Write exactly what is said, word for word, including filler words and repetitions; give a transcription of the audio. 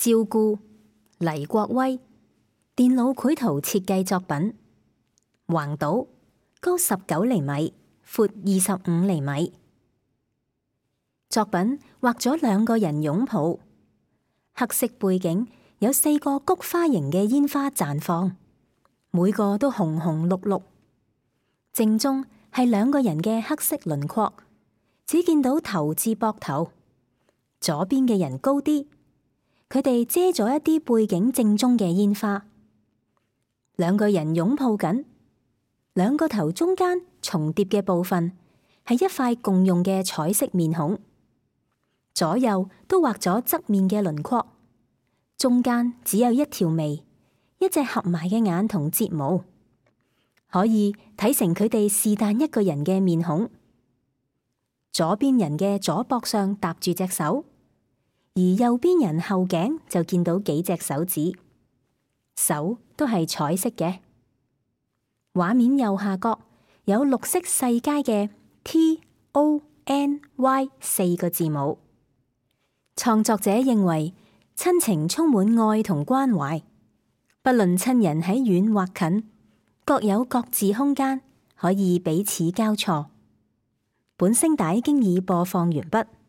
照顧黎國威，電腦繪圖設計作品。橫島，高十九厘米，闊二十五厘米。作品畫咗兩個人擁抱，黑色背景有四個菊花形嘅煙花綻放，每個都紅紅綠綠。正中係兩個人嘅黑色輪廓，只見到頭至膊頭。左邊嘅人高啲，佢哋遮咗一啲背景正中嘅煙花。兩個人擁抱緊，兩個頭中間重疊嘅部分係一塊共用嘅彩色面孔，左右都畫咗側面嘅輪廓，中間只有一條眉，一隻合埋嘅眼同睫毛，可以睇成佢哋是但一個人嘅面孔。左邊人嘅左膊上搭住隻手，而右邊人後頸就見到幾隻手指，手都係彩色嘅。畫面右下角有綠色細楷嘅 T O N Y 四個字母。創作者認為親情充滿愛同關懷，不論親人喺遠或近，各有各自空間，可以彼此交錯。本聲帶經已播放完畢。